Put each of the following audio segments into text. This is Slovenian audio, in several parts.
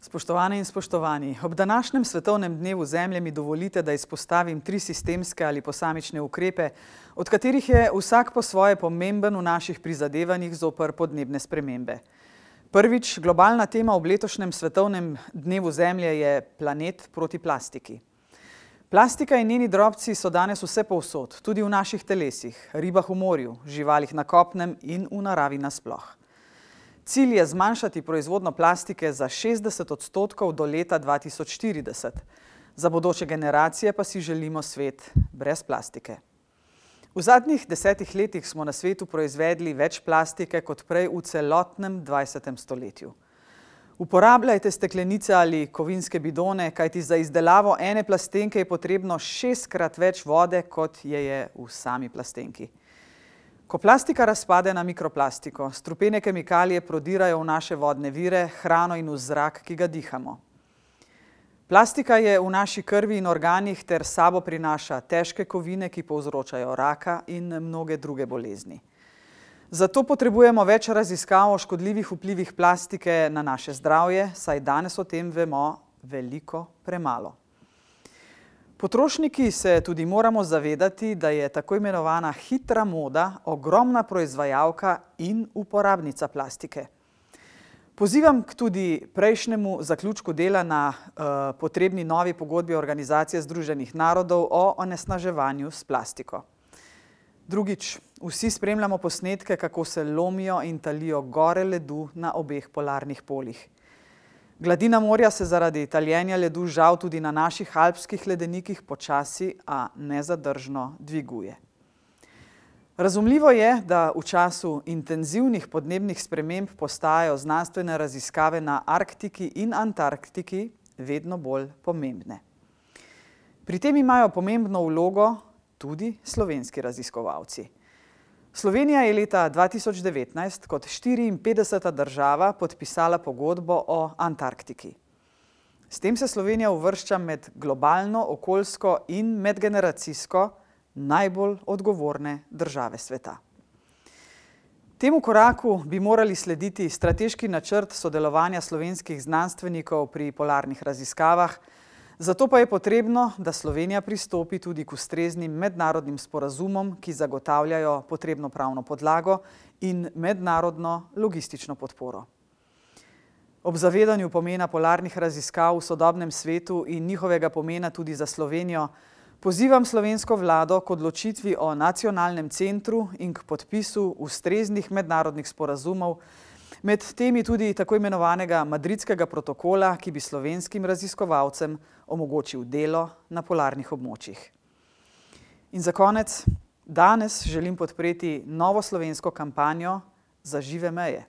Spoštovane in spoštovani, ob današnjem svetovnem dnevu Zemlje mi dovolite, da izpostavim 3 sistemske ali posamične ukrepe, od katerih je vsak po svoje pomemben v naših prizadevanjih zoper podnebne spremembe. Prvič, globalna tema ob letošnjem svetovnem dnevu Zemlje je planet proti plastiki. Plastika in njeni drobci so danes vse povsod, tudi v naših telesih, ribah v morju, živalih na kopnem in v naravi nasploh. Cilj je zmanjšati proizvodnjo plastike za 60% do leta 2040. Za bodoče generacije pa si želimo svet brez plastike. V zadnjih 10 letih smo na svetu proizvedli več plastike kot prej v celotnem 20. stoletju. Uporabljajte steklenice ali kovinske bidone, kajti za izdelavo ene plastenke je potrebno 6-krat več vode, kot je v sami plastenki. Ko plastika razpade na mikroplastiko, strupene kemikalije prodirajo v naše vodne vire, hrano in v zrak, ki ga dihamo. Plastika je v naši krvi in organih ter s sabo prinaša težke kovine, ki povzročajo raka in mnoge druge bolezni. Zato potrebujemo več raziskav o škodljivih vplivih plastike na naše zdravje, saj danes o tem vemo veliko premalo. Potrošniki se tudi moramo zavedati, da je tako imenovana hitra moda ogromna proizvajalka in uporabnica plastike. Pozivam k tudi prejšnjemu zaključku dela na potrebni novi pogodbi Organizacije združenih narodov o onesnaževanju s plastiko. Drugič, vsi spremljamo posnetke, kako se lomijo in talijo gore ledu na obeh polarnih polih. Gladina morja se zaradi taljenja ledu žal tudi na naših alpskih ledenikih počasi, a nezadržno dviguje. Razumljivo je, da v času intenzivnih podnebnih sprememb postajajo znanstvene raziskave na Arktiki in Antarktiki vedno bolj pomembne. Pri tem imajo pomembno vlogo tudi slovenski raziskovalci. Slovenija je leta 2019 kot 54. država podpisala pogodbo o Antarktiki. S tem se Slovenija uvršča med globalno, okoljsko in medgeneracijsko najbolj odgovorne države sveta. Temu koraku bi morali slediti strateški načrt sodelovanja slovenskih znanstvenikov pri polarnih raziskavah, zato pa je potrebno, da Slovenija pristopi tudi k ustreznim mednarodnim sporazumom, ki zagotavljajo potrebno pravno podlago in mednarodno logistično podporo. Ob zavedanju pomena polarnih raziskav v sodobnem svetu in njihovega pomena tudi za Slovenijo, pozivam slovensko vlado k odločitvi o nacionalnem centru in k podpisu ustreznih mednarodnih sporazumov, med temi tudi tako imenovanega Madridskega protokola, ki bi slovenskim raziskovalcem omogočil delo na polarnih območjih. In za konec, danes želim podpreti novo slovensko kampanjo za žive meje.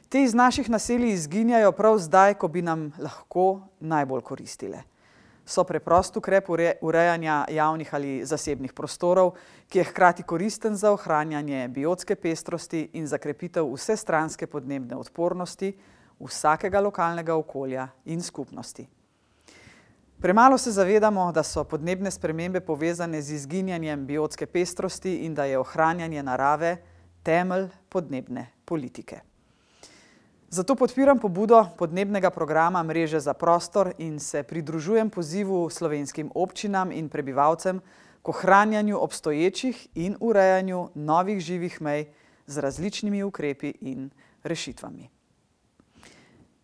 Te iz naših naselij izginjajo prav zdaj, ko bi nam lahko najbolj koristile. So preprost ukrep urejanja javnih ali zasebnih prostorov, ki je hkrati koristen za ohranjanje biotske pestrosti in za krepitev vsestranske podnebne odpornosti vsakega lokalnega okolja in skupnosti. Premalo se zavedamo, da so podnebne spremembe povezane z izginjanjem biotske pestrosti in da je ohranjanje narave temelj podnebne politike. Zato podpiram pobudo podnebnega programa Mreže za prostor in se pridružujem pozivu slovenskim občinam in prebivalcem k ohranjanju obstoječih in urejanju novih živih mej z različnimi ukrepi in rešitvami.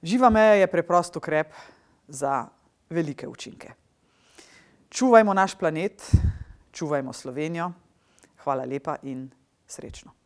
Živa meja je preprost ukrep za velike učinke. Čuvajmo naš planet, čuvajmo Slovenijo. Hvala lepa in srečno.